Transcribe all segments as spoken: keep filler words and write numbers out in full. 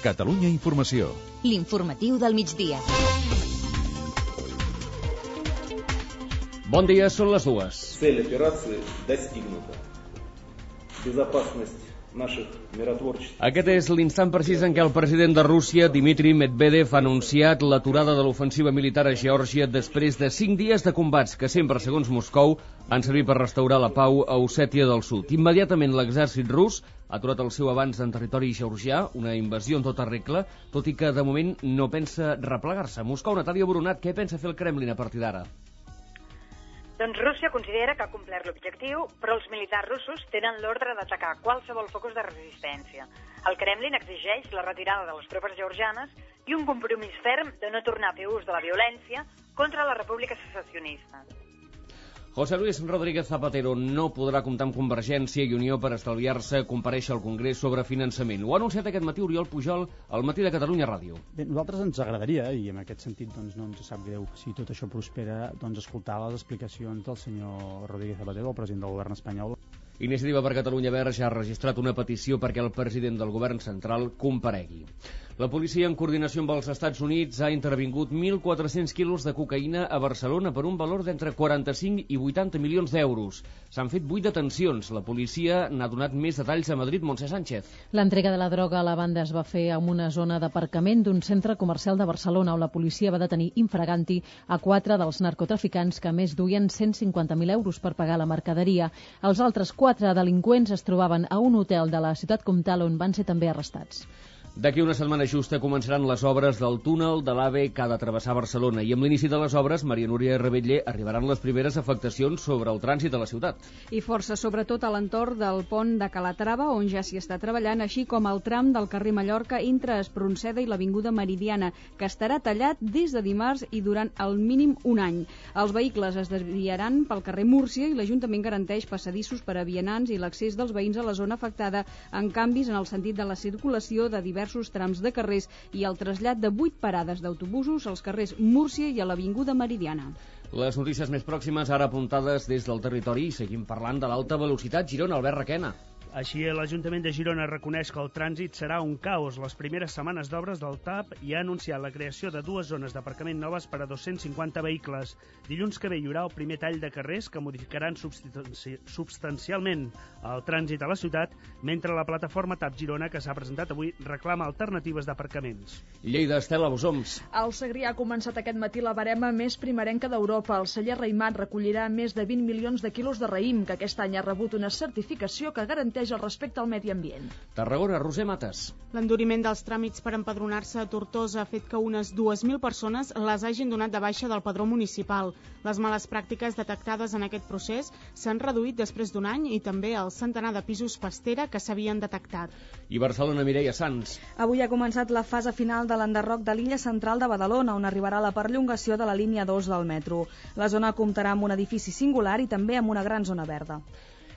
Catalunya Informació. L'informatiu del migdia. Bon dia, són les dues. Цель операции достигнута. Безопасность наших миротворческих. Aquest és l'instant precís en què el president de Rússia, Dmitry Medvedev, ha anunciat l'aturada de l'ofensiva militar a Geòrgia després de cinc dies de combats que sempre, segons Moscou, han servit per restaurar la pau a Ossètia del Sud. Immediatament l'exèrcit rus ha aturat el seu avanç en territori georgià, una invasió en tota regla, tot i que de moment no pensa replegar-se. Moscou, Natàlia Boronat, què pensa fer el Kremlin a partir d'ara? Doncs Rússia considera que ha complert l'objectiu, però els militars russos tenen l'ordre d'atacar qualsevol focus de resistència. El Kremlin exigeix la retirada de les tropes georgianes i un compromís ferm de no tornar a fer ús de la violència contra la República Secessionista. José Luis Rodríguez Zapatero no podrà comptar amb Convergència i Unió per estalviar-se comparèixer al Congrés sobre finançament. Ho ha anunciat aquest matí Oriol Pujol al Matí de Catalunya Ràdio. Bé, nosaltres ens agradaria, i en aquest sentit doncs, no ens sap greu si tot això prospera, doncs, escoltar les explicacions del senyor Rodríguez Zapatero, el president del govern espanyol. Iniciativa per Catalunya Verds ja ha registrat una petició perquè el president del govern central comparegui. La policia, en coordinació amb els Estats Units, ha intervingut mil quatre-cents quilos de cocaïna a Barcelona per un valor d'entre quaranta-cinc i vuitanta milions d'euros. S'han fet vuit detencions. La policia n'ha donat més detalls a Madrid. Montse Sánchez. L'entrega de la droga a la banda es va fer en una zona d'aparcament d'un centre comercial de Barcelona, on la policia va detenir infraganti a quatre dels narcotraficants que a més duien cent cinquanta mil euros per pagar la mercaderia. Els altres quatre delinqüents es trobaven a un hotel de la ciutat comtal on van ser també arrestats. D'aquí una setmana justa començaran les obres del túnel de l'AVE que ha de travessar Barcelona i amb l'inici de les obres, Maria Núria Rebetller, arribaran les primeres afectacions sobre el trànsit a la ciutat. I força, sobretot a l'entorn del pont de Calatrava, on ja s'hi està treballant, així com el tram del carrer Mallorca entre Espronceda i l'Avinguda Meridiana, que estarà tallat des de dimarts i durant al mínim un any. Els vehicles es desviaran pel carrer Múrcia i l'Ajuntament garanteix passadissos per a vianants i l'accés dels veïns a la zona afectada en canvis en el sentit de la circulació de diversos diversos trams de carrers i el trasllat de vuit parades d'autobusos als carrers Múrcia i a l'Avinguda Meridiana. Les notícies més pròximes ara apuntades des del territori i seguim parlant de l'alta velocitat. Girona, Albert Requena. Així, l'Ajuntament de Girona reconeix que el trànsit serà un caos les primeres setmanes d'obres del T A P i ha anunciat la creació de dues zones d'aparcament noves per a dos-cents cinquanta vehicles. Dilluns que ve hi haurà el primer tall de carrers que modificaran substanci substancialment el trànsit a la ciutat, mentre la plataforma T A P Girona, que s'ha presentat avui, reclama alternatives d'aparcaments. Lleida, Estela Bosoms. El Segrià ha començat aquest matí la barema més primerenca d'Europa. El celler Raïmat recollirà més de vint milions de quilos de raïm, que aquest any ha rebut una certificació que garanteix el respecte al medi ambient. Tarragona, Roser Mates. L'enduriment dels tràmits per empadronar-se a Tortosa ha fet que unes dues mil persones les hagin donat de baixa del padró municipal. Les males pràctiques detectades en aquest procés s'han reduït després d'un any i també el centenar de pisos pastera que s'havien detectat. I Barcelona, Mireia Sans. Avui ha començat la fase final de l'enderroc de l'illa central de Badalona, on arribarà la perllongació de la línia dos del metro. La zona comptarà amb un edifici singular i també amb una gran zona verda.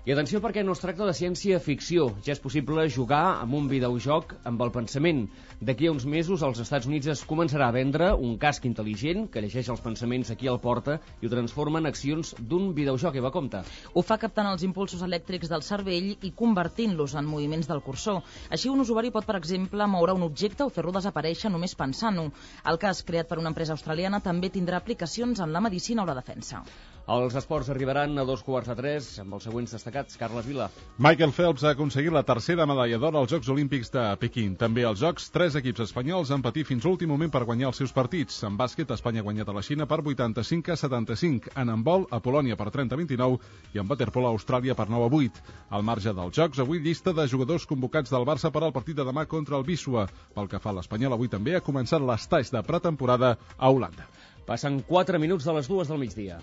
I atenció perquè no es tracta de ciència-ficció. Ja és possible jugar amb un videojoc amb el pensament. D'aquí a uns mesos als Estats Units es començarà a vendre un casc intel·ligent que llegeix els pensaments aquí al porta i ho transforma en accions d'un videojoc. Eva, compte. Ho fa captant els impulsos elèctrics del cervell i convertint-los en moviments del cursor. Així un usuari pot, per exemple, moure un objecte o fer-lo desaparèixer només pensant-ho. El casc, creat per una empresa australiana, també tindrà aplicacions en la medicina o la defensa. Els esports arribaran a dos quarts de tres amb els següents destacats. Carles Vila. Michael Phelps ha aconseguit la tercera medalla d'or als Jocs Olímpics de Pequín. També als Jocs, tres equips espanyols han patit fins l'últim moment per guanyar els seus partits. En bàsquet, Espanya ha guanyat a la Xina per vuitanta-cinc a setanta-cinc. En handbol, a Polònia per trenta a vint-i-nou i en waterpolo a Austràlia per nou a vuit. Al marge dels Jocs, avui llista de jugadors convocats del Barça per al partit de demà contra el Wisła. Pel que fa a l'Espanyol, avui també ha començat l'estatge de pretemporada a Holanda. Passen quatre minuts de les dues del migdia.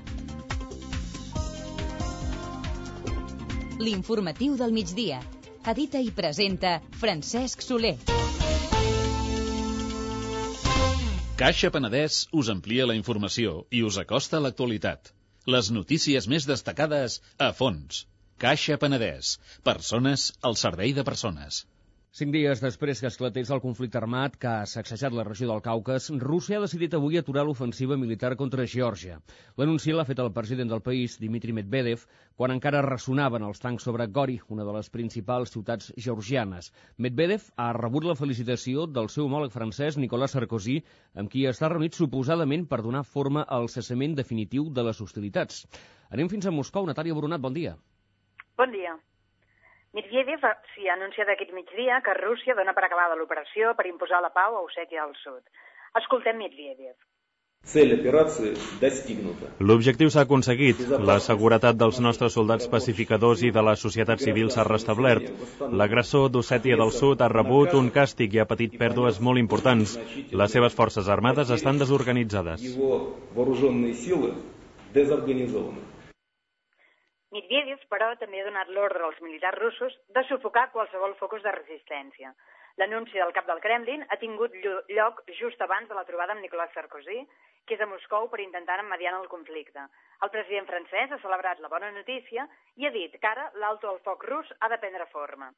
L'informatiu del migdia. Edita i presenta Francesc Soler. Caixa Penedès us amplia la informació i us acosta a l'actualitat. Les notícies més destacades a fons. Caixa Penedès. Persones al servei de persones. Cinc dies després que esclatés el conflicte armat que ha sacsejat la regió del Caucas, Rússia ha decidit avui aturar l'ofensiva militar contra Geòrgia. L'anunci l'ha fet el president del país, Dmitry Medvedev, quan encara ressonaven els tancs sobre Gori, una de les principals ciutats georgianes. Medvedev ha rebut la felicitació del seu homòleg francès, Nicolas Sarkozy, amb qui està reunit suposadament per donar forma al cessament definitiu de les hostilitats. Anem fins a Moscou. Natàlia Boronat, bon dia. Bon dia. Medvedev s'hi ha anunciat aquest migdia que Rússia dona per acabada l'operació per imposar la pau a Ossètia del Sud. Escoltem Medvedev. L'objectiu s'ha aconseguit. La seguretat dels nostres soldats pacificadors i de la societat civil s'ha restablert. L'agressor d'Ossètia del Sud ha rebut un càstig i ha patit pèrdues molt importants. Les seves forces armades estan desorganitzades. Medvedev, però, també ha donat l'ordre als militars russos de sufocar qualsevol focus de resistència. L'anunci del cap del Kremlin ha tingut lloc just abans de la trobada amb Nicolas Sarkozy, que és a Moscou per intentar mediar el conflicte. El president francès ha celebrat la bona notícia i ha dit que ara l'alto al foc rus ha de prendre forma.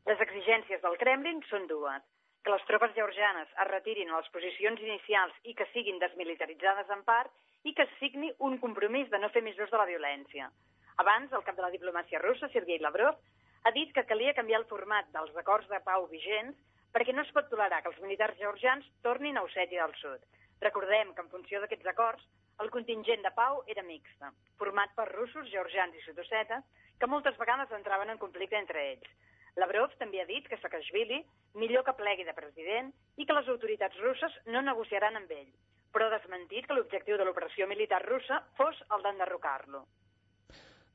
Les exigències del Kremlin són dues: que les tropes georgianes es retirin a les posicions inicials i que siguin desmilitaritzades en part, i que es signi un compromís de no fer més ús de la violència. Abans, el cap de la diplomàcia russa, Sergei Lavrov, ha dit que calia canviar el format dels acords de pau vigents perquè no es pot tolerar que els militars georgians tornin a Ossètia del Sud. Recordem que en funció d'aquests acords, el contingent de pau era mixta, format per russos, georgians i sud-ossetes, que moltes vegades entraven en conflicte entre ells. Lavrov també ha dit que Saakashvili millor que plegui de president i que les autoritats russes no negociaran amb ell, però ha desmentit que l'objectiu de l'operació militar russa fos el d'enderrocar-lo.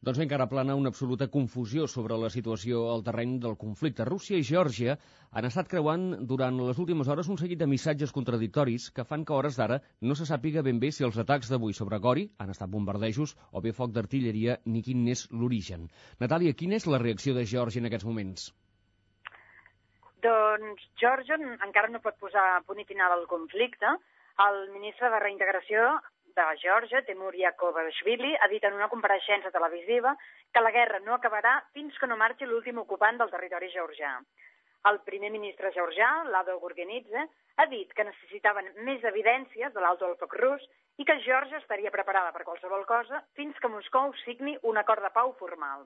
Doncs bé, encara plana una absoluta confusió sobre la situació al terreny del conflicte. Rússia i Geòrgia han estat creuant durant les últimes hores un seguit de missatges contradictoris que fan que a hores d'ara no se sàpiga ben bé si els atacs d'avui sobre Gori han estat bombardejos o bé foc d'artilleria ni quin n'és l'origen. Natàlia, quina és la reacció de Geòrgia en aquests moments? Doncs Geòrgia encara no pot posar punt i final al conflicte. El ministre de Reintegració de Geòrgia, Temur Yakovashvili, ha dit en una compareixença televisiva que la guerra no acabarà fins que no marxi l'últim ocupant del territori georgià. El primer ministre georgià, Lado Gurgenidze, ha dit que necessitaven més evidències de l'alto al foc rus i que Geòrgia estaria preparada per qualsevol cosa fins que Moscou signi un acord de pau formal.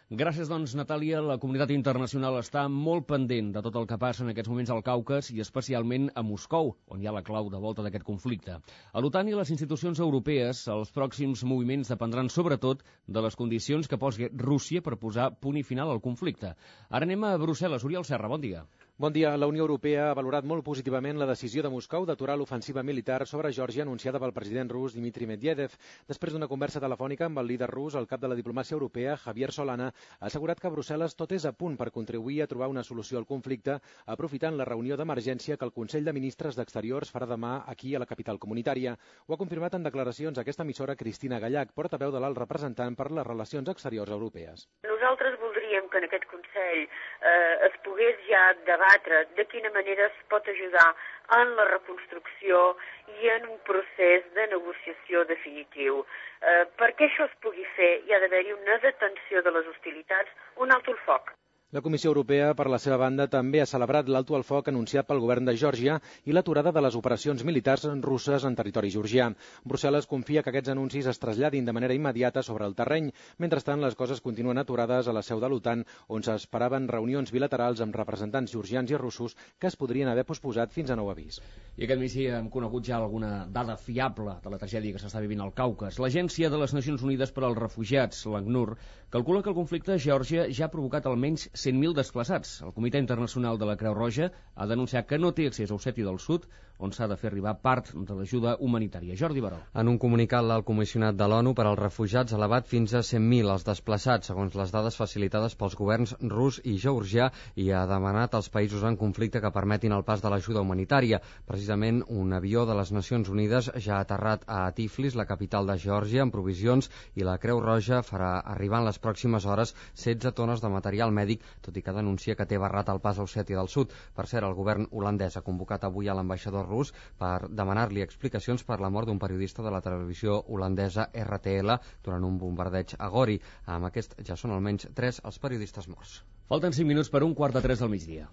Gràcies, doncs, Natàlia. La comunitat internacional està molt pendent de tot el que passa en aquests moments al Caucas i especialment a Moscou, on hi ha la clau de volta d'aquest conflicte. A l'OTAN i les institucions europees, els pròxims moviments dependran sobretot de les condicions que posi Rússia per posar punt i final al conflicte. Ara anem a Brussel·les. Oriol Serra, bon dia. Bon dia. La Unió Europea ha valorat molt positivament la decisió de Moscou d'aturar l'ofensiva militar sobre Geòrgia anunciada pel president rus Dmitry Medvedev. Després d'una conversa telefònica amb el líder rus, el cap de la diplomàcia europea, Javier Solana, ha assegurat que a Brussel·les tot és a punt per contribuir a trobar una solució al conflicte, aprofitant la reunió d'emergència que el Consell de Ministres d'Exteriors farà demà aquí a la capital comunitària. Ho ha confirmat en declaracions a aquesta emissora Cristina Gallach, portaveu de l'alt representant per les relacions exteriors europees. Nosaltres voldríem que en aquest Consell eh, es pogués ja debatre de quina manera es pot ajudar en la reconstrucció i en un procés de negociació definitiu. Eh, perquè això es pugui fer hi ha d'haver-hi una detenció de les hostilitats, un alto al foc. La Comissió Europea, per la seva banda, també ha celebrat l'alto al foc anunciat pel govern de Geòrgia i l'aturada de les operacions militars russes en territori georgià. Brussel·les confia que aquests anuncis es traslladin de manera immediata sobre el terreny. Mentrestant, les coses continuen aturades a la seu de l'OTAN, on s'esperaven reunions bilaterals amb representants georgians i russos que es podrien haver posposat fins a nou avís. I aquest migdi hem conegut ja alguna dada fiable de la tragèdia que s'està vivint al Caucas. L'Agència de les Nacions Unides per als Refugiats, l'ACNUR, calcula que el conflicte a Geòrgia ja ha provocat almenys cent mil desplaçats. El Comitè Internacional de la Creu Roja ha denunciat que no té accés a Ossètia del Sud, on s'ha de fer arribar part de l'ajuda humanitària. Jordi Baró. En un comunicat, l'alt comissionat de l'ONU per als refugiats ha elevat fins a cent mil els desplaçats, segons les dades facilitades pels governs rus i georgià, i ha demanat als països en conflicte que permetin el pas de l'ajuda humanitària. Precisament, un avió de les Nacions Unides ja ha aterrat a Tiflis, la capital de Geòrgia, amb provisions, i la Creu Roja farà arribar en les pròximes hores setze tones de material mèdic tot i que denuncia que té barrat el pas a Ossètia del Sud. Per cert, el govern holandès ha convocat avui a l'ambaixador rus per demanar-li explicacions per la mort d'un periodista de la televisió holandesa R T L durant un bombardeig a Gori. Amb aquest ja són almenys tres els periodistes morts. Falten cinc minuts per un quart de tres del migdia.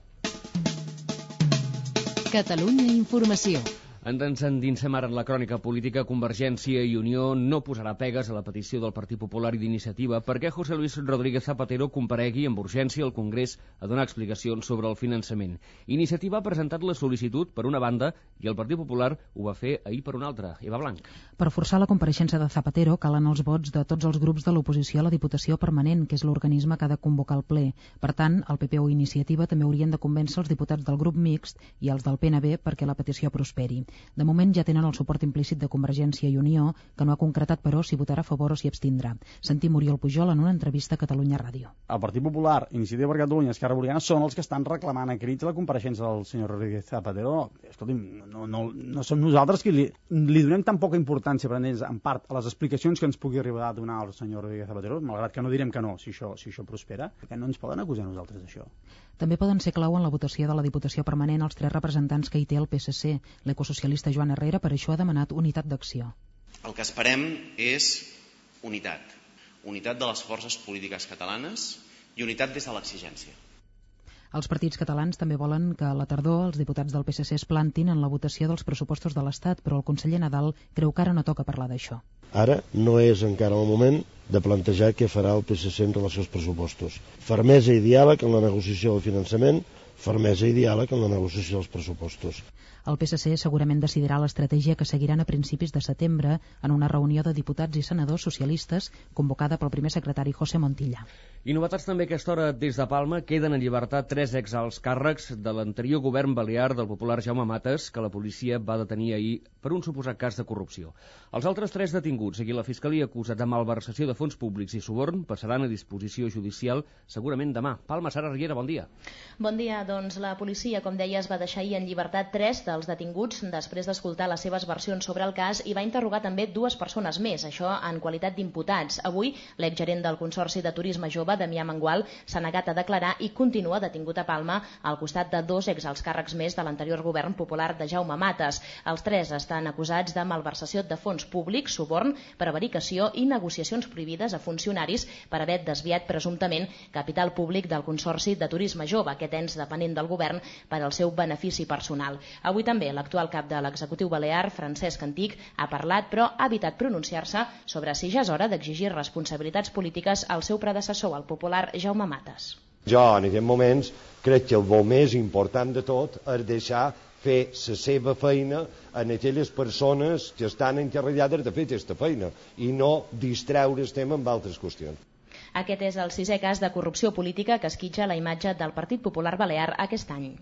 Catalunya Informació. Ens endinsem ara en la crònica política. Convergència i Unió no posarà pegues a la petició del Partit Popular i d'Iniciativa perquè José Luis Rodríguez Zapatero comparegui amb urgència al Congrés a donar explicacions sobre el finançament. Iniciativa ha presentat la sol·licitud per una banda i el Partit Popular ho va fer ahir per una altra. Eva Blanc. Per forçar la compareixença de Zapatero calen els vots de tots els grups de l'oposició a la Diputació Permanent, que és l'organisme que ha de convocar el ple. Per tant, el P P o Iniciativa també haurien de convèncer els diputats del grup mixt i els del P N B perquè la petició prosperi. De moment ja tenen el suport implícit de Convergència i Unió, que no ha concretat, però, si votarà a favor o si abstindrà. Sentim Oriol Pujol en una entrevista a Catalunya Ràdio. El Partit Popular, Iniciativa per Catalunya i Esquerra Republicana són els que estan reclamant a crits la compareixença del senyor Rodríguez Zapatero. Escolti'm, no, no, no som nosaltres qui li, li donem tan poca importància, per ells, en part, a les explicacions que ens pugui arribar a donar el senyor Rodríguez Zapatero, malgrat que no direm que no, si això, si això prospera, perquè no ens poden acusar nosaltres d'això. També poden ser clau en la votació de la Diputació Permanent els tres representants que hi té el P S C. L'ecosocialista Joan Herrera per això ha demanat unitat d'acció. El que esperem és unitat. Unitat de les forces polítiques catalanes i unitat des de l'exigència. Els partits catalans també volen que a la tardor els diputats del P S C es plantin en la votació dels pressupostos de l'Estat, però el conseller Nadal creu que ara no toca parlar d'això. Ara no és encara el moment de plantejar què farà el P S C en relació als pressupostos. Fermesa i diàleg en la negociació del finançament, fermesa i diàleg en la negociació dels pressupostos. El P S C segurament decidirà l'estratègia que seguiran a principis de setembre en una reunió de diputats i senadors socialistes convocada pel primer secretari José Montilla. I novetats també a aquesta hora des de Palma. Queden en llibertat tres exalts càrrecs de l'anterior govern balear del popular Jaume Matas, que la policia va detenir ahir per un suposat cas de corrupció. Els altres tres detinguts, a qui la Fiscalia acusa de malversació de fons públics i suborn, passaran a disposició judicial segurament demà. Palma, Sara Riera, bon dia. Bon dia. Doncs la policia, com deies, va deixar ahir en llibertat tres dels detinguts després d'escoltar les seves versions sobre el cas i va interrogar també dues persones més, això en qualitat d'imputats. Avui, l'exgerent del Consorci de Turisme Jove, Damià Mangual, s'ha negat a declarar i continua detingut a Palma al costat de dos exalts càrrecs més de l'anterior govern popular de Jaume Matas. Els tres estan acusats de malversació de fons públics, suborn, prevaricació i negociacions prohibides a funcionaris per haver desviat presumptament capital públic del Consorci de Turisme Jove, aquest ens depenent del govern per al seu benefici personal. Avui també l'actual cap de l'executiu balear, Francesc Antich, ha parlat però ha evitat pronunciar-se sobre si ja és hora d'exigir responsabilitats polítiques al seu predecessor, el popular Jaume Matas. Jo, en aquests moments, crec que el més important de tot és deixar fer la seva feina en aquelles persones que estan encarregades de fer aquesta feina i no distreure el tema amb altres qüestions. Aquest és el sisè cas de corrupció política que esquitxa la imatge del Partit Popular Balear aquest any.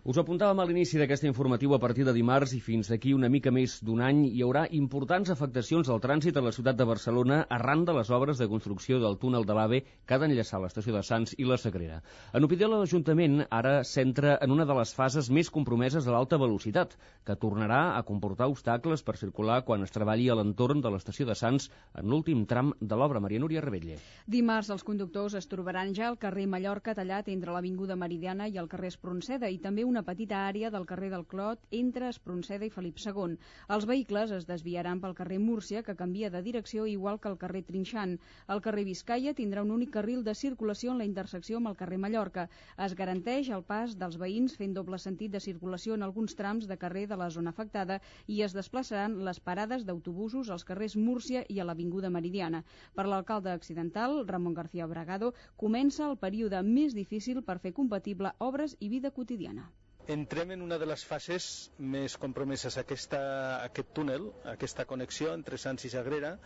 Us apuntàvem a l'inici d'aquest informatiu. A partir de dimarts i fins d'aquí una mica més d'un any hi haurà importants afectacions al trànsit a la ciutat de Barcelona arran de les obres de construcció del túnel de l'AVE que ha d'enllaçar l'estació de Sants i la Sagrera. En opinió de l'Ajuntament, ara s'entra en una de les fases més compromeses de l'alta velocitat, que tornarà a comportar obstacles per circular quan es treballi a l'entorn de l'estació de Sants en l'últim tram de l'obra. Maria Núria Rebetlle. Dimarts els conductors es trobaran ja al carrer Mallorca tallat entre l'Avinguda Meridiana i el carrer Espronceda i també una petita àrea del carrer del Clot entre Espronceda i Felip segon. Els vehicles es desviaran pel carrer Múrcia, que canvia de direcció igual que el carrer Trinxant. El carrer Vizcaya tindrà un únic carril de circulació en la intersecció amb el carrer Mallorca. Es garanteix el pas dels veïns fent doble sentit de circulació en alguns trams de carrer de la zona afectada i es desplaçaran les parades d'autobusos als carrers Múrcia i a l'Avinguda Meridiana. Per l'alcalde accidental, Ramon García Bragado, comença el període més difícil per fer compatible obres i vida quotidiana. Entrem en una de les fases més compromeses. Aquesta, aquest túnel, aquesta connexió entre Sants i Sagrera,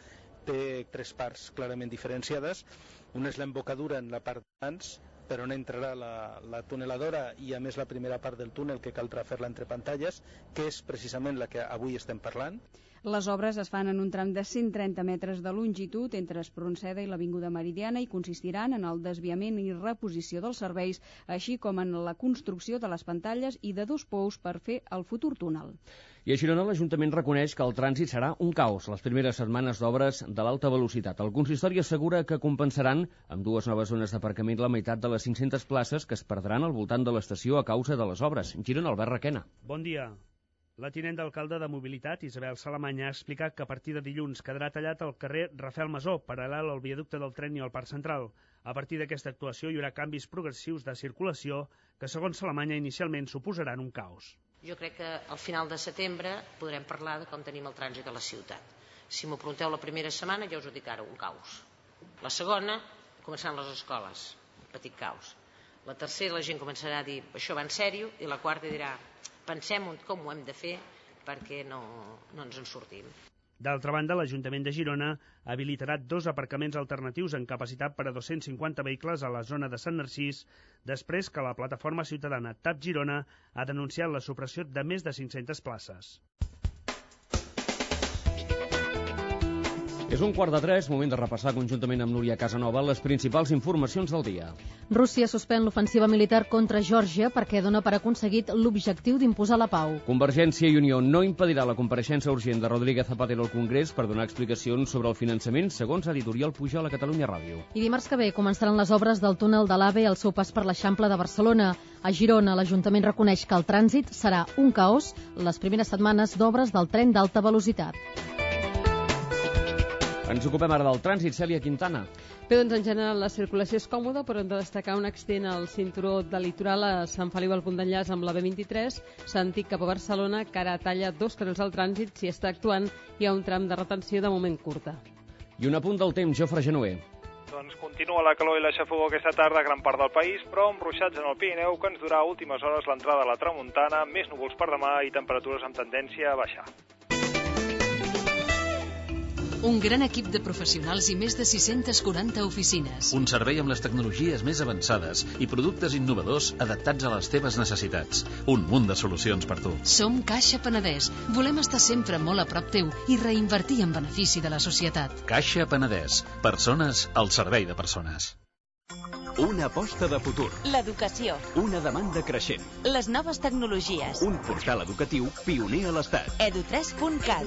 té tres parts clarament diferenciades. Una és l'embocadura en la part de Sants, per on entrarà la, la tuneladora i a més la primera part del túnel que caldrà fer-la entre pantalles, que és precisament la que avui estem parlant. Les obres es fan en un tram de cent trenta metres de longitud entre Espronceda i l'Avinguda Meridiana i consistiran en el desviament i reposició dels serveis, així com en la construcció de les pantalles i de dos pous per fer el futur túnel. I a Girona l'Ajuntament reconeix que el trànsit serà un caos les primeres setmanes d'obres de l'alta velocitat. El consistori assegura que compensaran amb dues noves zones d'aparcament la meitat de les cinc-centes places que es perdran al voltant de l'estació a causa de les obres. Girona, Albert Requena. Bon dia. La tinent d'alcalde de Mobilitat, Isabel Salamanya, ha explicat que a partir de dilluns quedarà tallat el carrer Rafael Masó, paral·lel al viaducte del tren i al Parc Central. A partir d'aquesta actuació hi haurà canvis progressius de circulació que, segons Salamanya, inicialment suposaran un caos. Jo crec que al final de setembre podrem parlar de com tenim el trànsit a la ciutat. Si m'ho pregunteu la primera setmana, ja us ho dic ara, un caos. La segona, començaran les escoles, un petit caos. La tercera, la gent començarà a dir, això va en sèrio, i la quarta dirà, pensem com ho hem de fer perquè no, no ens en sortim. D'altra banda, l'Ajuntament de Girona habilitarà dos aparcaments alternatius en capacitat per a dos-cents cinquanta vehicles a la zona de Sant Narcís, després que la plataforma ciutadana T A P Girona ha denunciat la supressió de més de cinc-centes places. És un quart de tres, moment de repassar conjuntament amb Núria Casanova les principals informacions del dia. Rússia suspèn l'ofensiva militar contra Geòrgia perquè dona per aconseguit l'objectiu d'imposar la pau. Convergència i Unió no impedirà la compareixença urgent de Rodríguez Zapatero al Congrés per donar explicacions sobre el finançament, segons editorial Pujol a Catalunya Ràdio. I dimarts que ve començaran les obres del túnel de l'AVE al seu pas per l'Eixample de Barcelona. A Girona, l'Ajuntament reconeix que el trànsit serà un caos les primeres setmanes d'obres del tren d'alta velocitat. Ens ocupem ara del trànsit, Cèlia Quintana. Bé, doncs en general la circulació és còmoda, però hem de destacar un accident al cinturó del litoral a Sant Feliu al punt d'enllaç amb la B vint-i-tres, sentit cap a Barcelona, que ara talla dos carrils al trànsit. Si està actuant, hi ha un tram de retenció de moment curta. I un apunt del temps, Jofre Genoer. Doncs continua la calor i la xafogor aquesta tarda a gran part del país, però amb ruixats en el Pirineu que ens durà a últimes hores l'entrada a la tramuntana, més núvols per demà i temperatures amb tendència a baixar. Un gran equip de professionals i més de sis-centes quaranta oficines. Un servei amb les tecnologies més avançades i productes innovadors adaptats a les teves necessitats. Un munt de solucions per tu. Som Caixa Penedès. Volem estar sempre molt a prop teu i reinvertir en benefici de la societat. Caixa Penedès. Persones al servei de persones. Una aposta de futur. L'educació. Una demanda creixent. Les noves tecnologies. Un portal educatiu pioner a l'Estat. edu tres punt cat.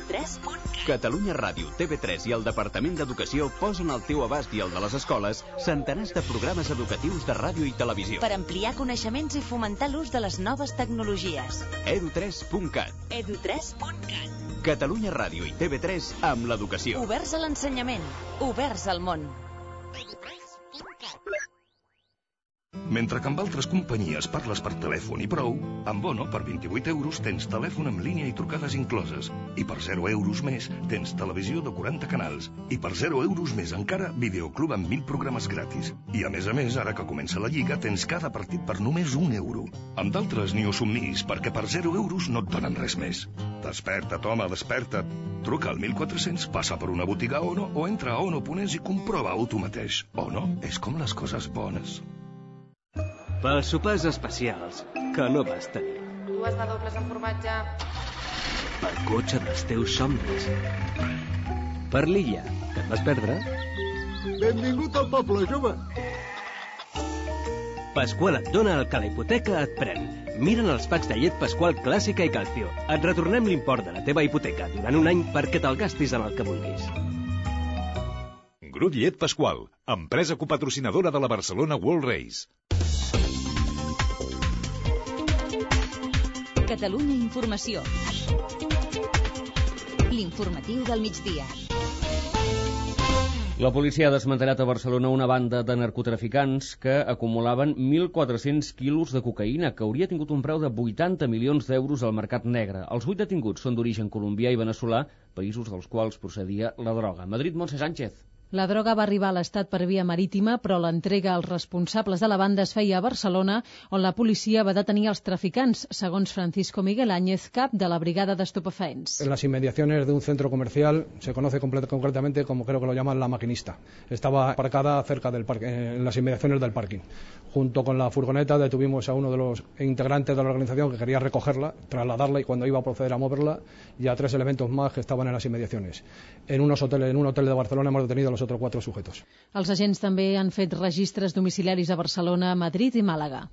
Catalunya Ràdio, T V tres i el Departament d'Educació posen al teu abast i el de les escoles centenars de programes educatius de ràdio i televisió. Per ampliar coneixements i fomentar l'ús de les noves tecnologies. edu tres punt cat. edu tres punt cat. Catalunya Ràdio i T V tres amb l'educació. Oberts a l'ensenyament. Oberts al món. Mentre que amb altres companyies parles per telèfon i prou, amb Bono, per vint-i-vuit euros, tens telèfon en línia i trucades incloses. I per zero euros més, tens televisió de quaranta canals. I per zero euros més encara, videoclub amb mil programes gratis. I a més a més, ara que comença la Lliga, tens cada partit per només un euro. Amb d'altres ni ho somnis, perquè per zero euros no et donen res més. Desperta't, home, desperta't. Truca al mil quatre-cents, passa per una botiga Ono o entra a ono punt es i comprova-ho tu mateix. Ono és com les coses bones. Pels sopars especials que no vas tenir. Dues de dobles amb formatge. El cotxe dels teus somnis. Per l'illa, que et vas perdre. Benvingut al poble, jove. Pasqual et dona el que la hipoteca et pren. Mira'n els packs de llet Pasqual Clàssica i Calcio. Et retornem l'import de la teva hipoteca durant un any perquè te'l gastis en el que vulguis. Grup Llet Pasqual, empresa copatrocinadora de la Barcelona World Race. Catalunya Informació. L'informatiu del migdia. La policia ha desmantellat a Barcelona una banda de narcotraficants que acumulaven mil quatre-cents quilos de cocaïna que hauria tingut un preu de vuitanta milions d'euros al mercat negre. Els vuit detinguts són d'origen colombià i veneçolà, països dels quals procedia la droga. Madrid, Montse Sánchez. La droga va arribar a l'Estat per via marítima, però l'entrega als responsables de la banda es feia a Barcelona, on la policia va detenir els traficants, segons Francisco Miguel Áñez, cap de la brigada d'estupefaents. En las inmediaciones de un centro comercial, se conoce concretamente como creo que lo llaman La Maquinista. Estaba aparcada cerca del parque, en las inmediaciones del parking. Junto con la furgoneta detuvimos a uno de los integrantes de la organización que quería recogerla, trasladarla y cuando iba a proceder a moverla, y a tres elementos más que estaban en las inmediaciones. En, unos hoteles, en un hotel de Barcelona hemos detenido a los otros cuatro sujetos. Els agents també han fet registres domiciliaris a Barcelona, Madrid i Màlaga.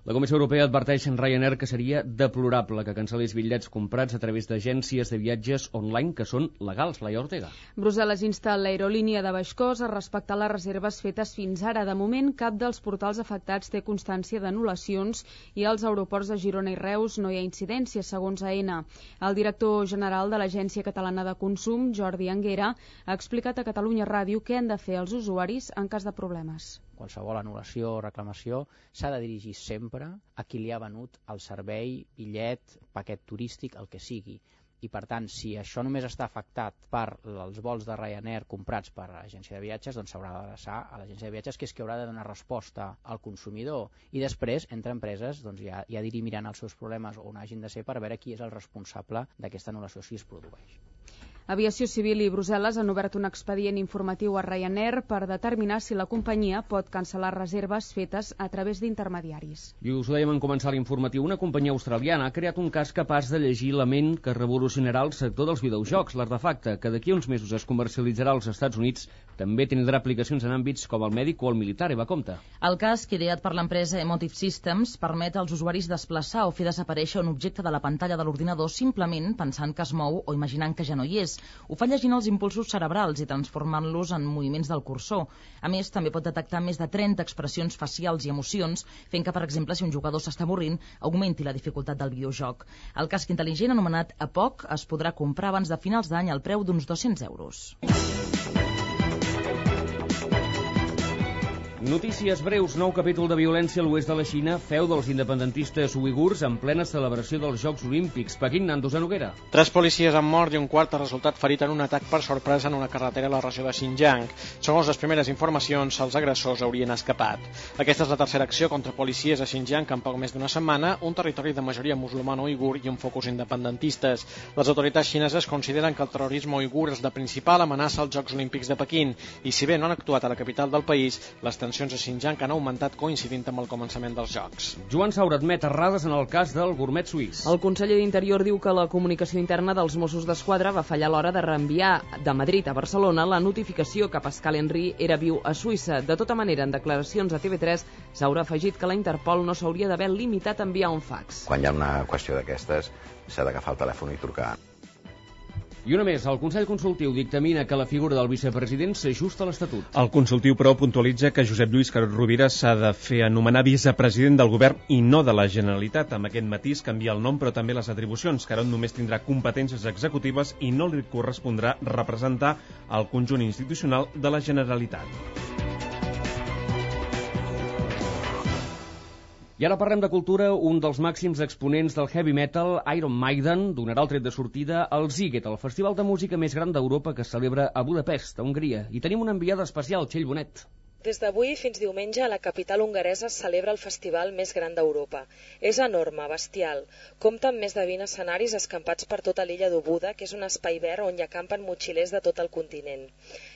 La Comissió Europea adverteix en Ryanair que seria deplorable que cancel·lés bitllets comprats a través d'agències de viatges online que són legals. Laia Ortega. Brussel·les insta l'aerolínia de Baixcós a respectar les reserves fetes fins ara. De moment, cap dels portals afectats té constància d'anul·lacions i als aeroports de Girona i Reus no hi ha incidències, segons A N. El director general de l'Agència Catalana de Consum, Jordi Anguera, ha explicat a Catalunya Ràdio què han de fer els usuaris en cas de problemes. Qualsevol anul·lació o reclamació s'ha de dirigir sempre a qui li ha venut el servei, bitllet, paquet turístic, el que sigui. I per tant, si això només està afectat per els vols de Ryanair comprats per l'agència de viatges, doncs s'haurà d'adreçar a l'agència de viatges, que és qui haurà de donar resposta al consumidor. I després, entre empreses, doncs ja, ja dirimiran els seus problemes on hagin de ser per veure qui és el responsable d'aquesta anul·lació si es produeix. Aviació Civil i Brussel·les han obert un expedient informatiu a Ryanair per determinar si la companyia pot cancel·lar reserves fetes a través d'intermediaris. I us ho dèiem en començar l'informatiu, una companyia australiana ha creat un cas capaç de llegir la ment que revolucionarà el sector dels videojocs. L'artefacte, que d'aquí uns mesos es comercialitzarà als Estats Units, també tindrà aplicacions en àmbits com el mèdic o el militar. Eva, compte. El casc, ideat per l'empresa Emotive Systems, permet als usuaris desplaçar o fer desaparèixer un objecte de la pantalla de l'ordinador simplement pensant que es mou o imaginant que ja no hi és. Ho fa llegint els impulsos cerebrals i transformant-los en moviments del cursor. A més, també pot detectar més de trenta expressions facials i emocions, fent que, per exemple, si un jugador s'està avorrint, augmenti la dificultat del videojoc. El casc intel·ligent, anomenat A P O C, es podrà comprar abans de finals d'any al preu d'uns dos-cents euros. Notícies breus. Nou capítol de violència a l'oest de la Xina, feu dels independentistes uigurs en plena celebració dels Jocs Olímpics. Pequín, Nandos de Noguera. Tres policies han mort i un quart ha resultat ferit en un atac per sorpresa en una carretera a la regió de Xinjiang. Segons les primeres informacions, els agressors haurien escapat. Aquesta és la tercera acció contra policies a Xinjiang en poc més d'una setmana, un territori de majoria musulmana uigur i un focus independentistes. Les autoritats xineses consideren que el terrorisme uigur és la principal amenaça als Jocs Olímpics de Pequín i, si bé no han actuat a la capital del país, les tensions a Xinjiang han augmentat coincidint amb el començament dels Jocs. Joan Saura admet errades en el cas del gourmet suís. El conseller d'Interior diu que la comunicació interna dels Mossos d'Esquadra va fallar a l'hora de reenviar de Madrid a Barcelona la notificació que Pascal Henry era viu a Suïssa. De tota manera, en declaracions a T V tres s'haurà afegit que la Interpol no s'hauria d'haver limitat a enviar un fax. Quan hi ha una qüestió d'aquestes, s'ha d'agafar el telèfon i trucar. I una més, el Consell Consultiu dictamina que la figura del vicepresident s'ajusta a l'Estatut. El consultiu, però, puntualitza que Josep Lluís Carod Rovira s'ha de fer anomenar vicepresident del govern i no de la Generalitat. Amb aquest matís canvia el nom, però també les atribucions. Carod només tindrà competències executives i no li correspondrà representar el conjunt institucional de la Generalitat. I ara parlem de cultura. Un dels màxims exponents del heavy metal, Iron Maiden, donarà el tret de sortida al Ziget, el festival de música més gran d'Europa que es celebra a Budapest, a Hongria. I tenim una enviada especial, Txell Bonet. Des d'avui fins diumenge a la capital hongaresa es celebra el festival més gran d'Europa. És enorme, bestial. Compta amb més de vint escenaris escampats per tota l'illa d'Obuda, que és un espai verd on hi acampen motxilers de tot el continent.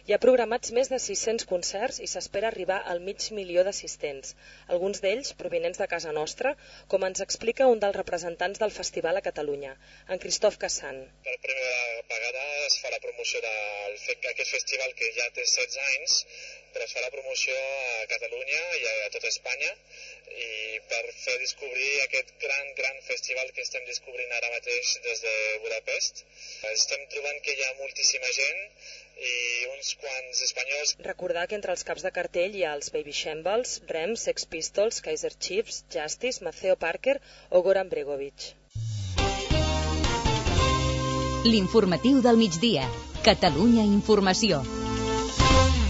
Hi ha programats més de sis-cents concerts i s'espera arribar al mig milió d'assistents, alguns d'ells provinents de casa nostra, com ens explica un dels representants del festival a Catalunya, en Christoph Cassan. Per primera vegada es farà promoció d'aquest festival que ja té setze anys, però es farà promoció a Catalunya i a tota Espanya, i per fer descobrir aquest gran, gran festival que estem descobrint ara mateix des de Budapest. Estem trobant que hi ha moltíssima gent i uns quants espanyols. Recordar que entre els caps de cartell hi ha els Baby Shambles, Rem, Sex Pistols, Kaiser Chiefs, Justice, Maceo Parker o Goran Bregovic. L'informatiu del migdia. Catalunya Informació.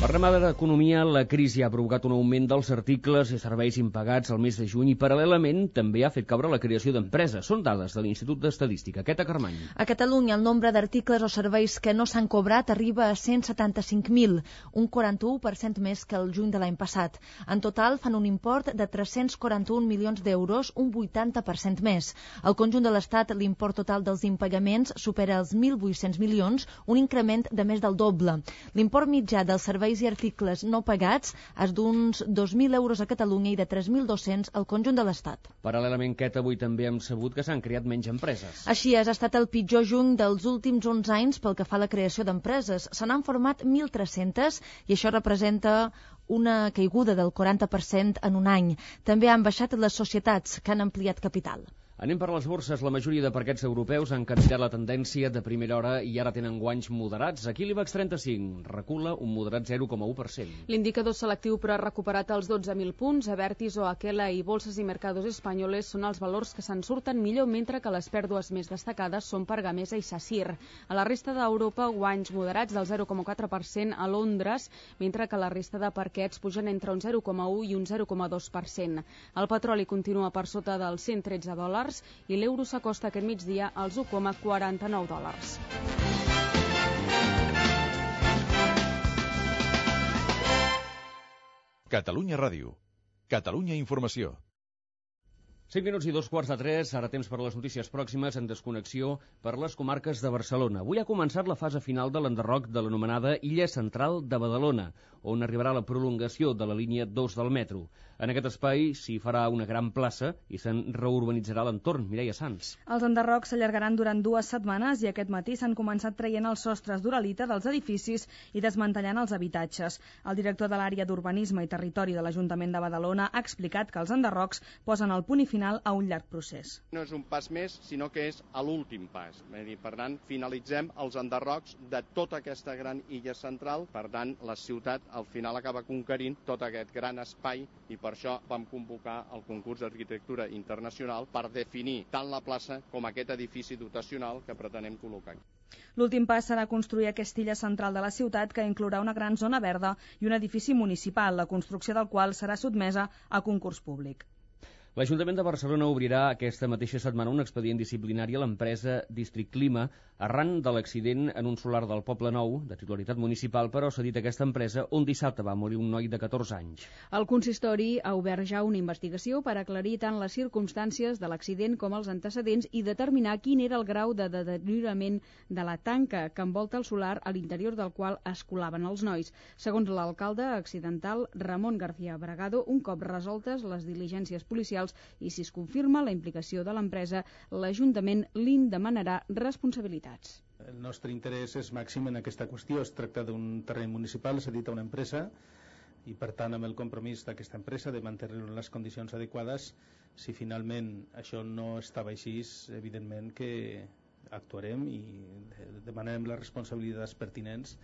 Parlem ara d'economia. La crisi ha provocat un augment dels articles i serveis impagats al mes de juny i paral·lelament també ha fet caure la creació d'empreses. Són dades de l'Institut d'Estadística. Queta Carmany. A Catalunya el nombre d'articles o serveis que no s'han cobrat arriba a cent setanta-cinc mil, un quaranta-u per cent més que el juny de l'any passat. En total fan un import de tres-cents quaranta-un milions d'euros, un vuitanta per cent més. Al conjunt de l'Estat l'import total dels impagaments supera els mil vuit-cents milions, un increment de més del doble. L'import mitjà dels serveis i articles no pagats és d'uns dos mil euros a Catalunya i de tres mil dos-cents al conjunt de l'Estat. Paral·lelament, Queta, avui també hem sabut que s'han creat menys empreses. Així és, ha estat el pitjor juny dels últims onze anys pel que fa a la creació d'empreses. Se n'han format mil tres-cents i això representa una caiguda del quaranta per cent en un any. També han baixat les societats, que han ampliat capital. Anem per les borses. La majoria de parquets europeus han canviat la tendència de primera hora i ara tenen guanys moderats. Aquí l'IBEX trenta-cinc recula un moderat zero coma u per cent. L'indicador selectiu però ha recuperat els dotze mil punts. Abertis o Aquela i Bolsas i Mercados Espanyoles són els valors que se'n surten millor, mentre que les pèrdues més destacades són per Gamesa i Sacyr. A la resta d'Europa, guanys moderats del zero coma quatre per cent a Londres, mentre que la resta de parquets pugen entre un zero coma u i un zero coma dos per cent. El petroli continua per sota dels cent tretze dòlars i l'euro s'acosta aquest migdia als u coma quaranta-nou dòlars. Catalunya Ràdio. Catalunya Informació. cinc minuts i dos quarts de tres, ara temps per les notícies pròximes en desconnexió per les comarques de Barcelona. Avui ha començat la fase final de l'enderroc de l'anomenada Illa Central de Badalona, on arribarà la prolongació de la línia dos del metro. En aquest espai s'hi farà una gran plaça i se'n reurbanitzarà l'entorn. Mireia Sans. Els enderrocs s'allargaran durant dues setmanes i aquest matí s'han començat traient els sostres d'uralita dels edificis i desmantellant els habitatges. El director de l'àrea d'Urbanisme i Territori de l'Ajuntament de Badalona ha explicat que els enderrocs posen el punt i final a un llarg procés. No és un pas més, sinó que és a l'últim pas. Per tant, finalitzem els enderrocs de tota aquesta gran illa central. Per tant, la ciutat al final acaba conquerint tot aquest gran espai i per això vam convocar el concurs d'arquitectura internacional per definir tant la plaça com aquest edifici dotacional que pretenem col·locar. L'últim pas serà construir aquesta illa central de la ciutat, que inclourà una gran zona verda i un edifici municipal, la construcció del qual serà sotmesa a concurs públic. L'Ajuntament de Barcelona obrirà aquesta mateixa setmana un expedient disciplinari a l'empresa District Clima arran de l'accident en un solar del Poble Nou, de titularitat municipal, però s'ha dit aquesta empresa on dissabte va morir un noi de catorze anys. El consistori ha obert ja una investigació per aclarir tant les circumstàncies de l'accident com els antecedents i determinar quin era el grau de deteriorament de la tanca que envolta el solar a l'interior del qual es colaven els nois. Segons l'alcalde accidental Ramon García Bragado, un cop resoltes les diligències policials i si es confirma la implicació de l'empresa, l'Ajuntament li'n demanarà responsabilitats. El nostre interès és màxim en aquesta qüestió. Es tracta d'un terreny municipal cedit a una empresa i, per tant, amb el compromís d'aquesta empresa de mantenir-lo en les condicions adequades. Si finalment això no estava així, evidentment que actuarem i demanarem les responsabilitats pertinents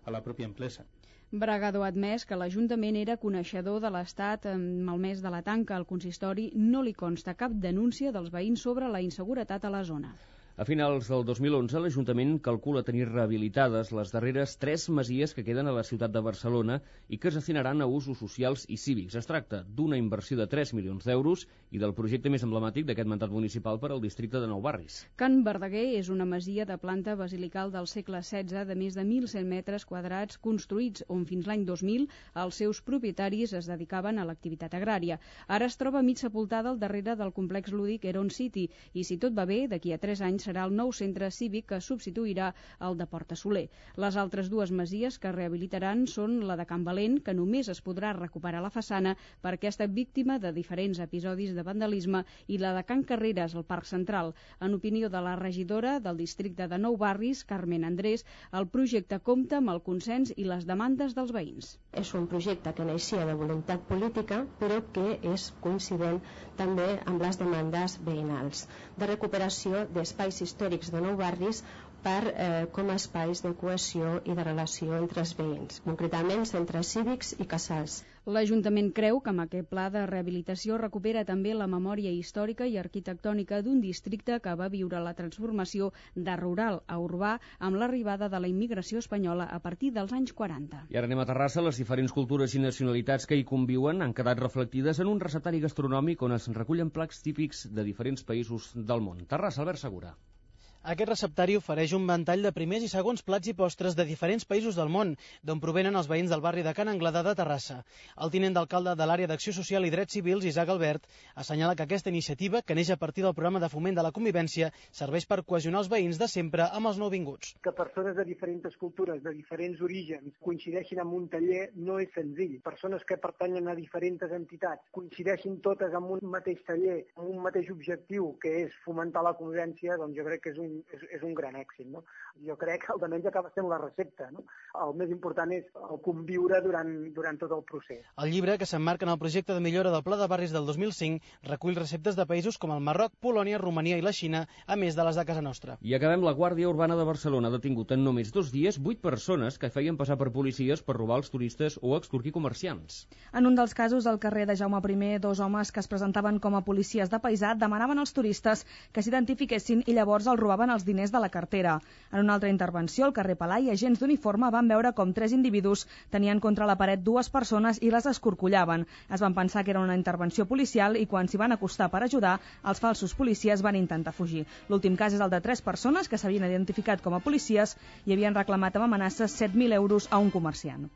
a la pròpia empresa. Bragado ha admès que l'Ajuntament era coneixedor de l'estat amb el mes de la tanca. Al consistori no li consta cap denúncia dels veïns sobre la inseguretat a la zona. A finals del dos mil onze, l'Ajuntament calcula tenir rehabilitades les darreres tres masies que queden a la ciutat de Barcelona i que es destinaran a usos socials i cívics. Es tracta d'una inversió de tres milions d'euros i del projecte més emblemàtic d'aquest mandat municipal per al districte de Nou Barris. Can Verdaguer és una masia de planta basilical del segle setze de més de mil cent metres quadrats construïts on fins l'any dos mil els seus propietaris es dedicaven a l'activitat agrària. Ara es troba mig sepultada al darrere del complex lúdic Heron City i, si tot va bé, d'aquí a tres anys serà el nou centre cívic que substituirà el de Porta Soler. Les altres dues masies que rehabilitaran són la de Can Valent, que només es podrà recuperar la façana perquè ha estat víctima de diferents episodis de vandalisme, i la de Can Carreres, al Parc Central. En opinió de la regidora del districte de Nou Barris, Carmen Andrés, el projecte compta amb el consens i les demandes dels veïns. És un projecte que naixia de voluntat política, però que és coincident també amb les demandes veïnals de recuperació d'espais històrics de Nou Barris per, eh, com a espais de cohesió i de relació entre els veïns, concretament centres cívics i casals. L'Ajuntament creu que amb aquest pla de rehabilitació recupera també la memòria històrica i arquitectònica d'un districte que va viure la transformació de rural a urbà amb l'arribada de la immigració espanyola a partir dels anys quaranta. I ara anem a Terrassa. Les diferents cultures i nacionalitats que hi conviuen han quedat reflectides en un receptari gastronòmic on es recullen plats típics de diferents països del món. Terrassa, Albert Segura. Aquest receptari ofereix un ventall de primers i segons plats i postres de diferents països del món, d'on provenen els veïns del barri de Can Anglada de Terrassa. El tinent d'alcalde de l'àrea d'Acció Social i Drets Civils, Isaac Albert, assenyala que aquesta iniciativa, que neix a partir del programa de foment de la convivència, serveix per cohesionar els veïns de sempre amb els nouvinguts. Que persones de diferents cultures, de diferents orígens, coincideixin en un taller no és senzill. Persones que pertanyen a diferents entitats coincideixin totes en un mateix taller, amb un mateix objectiu, que és fomentar la convivència, doncs jo crec que és un És, és un gran èxit, no? Jo crec que almenys acaba sent la recepta, no? El més important és el conviure durant, durant tot el procés. El llibre, que s'emmarca en el projecte de millora del Pla de Barris del dos mil cinc, recull receptes de països com el Marroc, Polònia, Romania i la Xina, a més de les de casa nostra. I acabem. La Guàrdia Urbana de Barcelona ha detingut en només dos dies vuit persones que feien passar per policies per robar els turistes o extorquir comerciants. En un dels casos, al carrer de Jaume primer, dos homes que es presentaven com a policies de paisà demanaven als turistes que s'identifiquessin i llavors els robaven els diners de la cartera. En una altra intervenció, al carrer Palai, agents d'uniforme van veure com tres individus tenien contra la paret dues persones i les escorcollaven. Es van pensar que era una intervenció policial i quan s'hi van acostar per ajudar, els falsos policies van intentar fugir. L'últim cas és el de tres persones que s'havien identificat com a policies i havien reclamat amb amenaces set mil euros a un comerciant.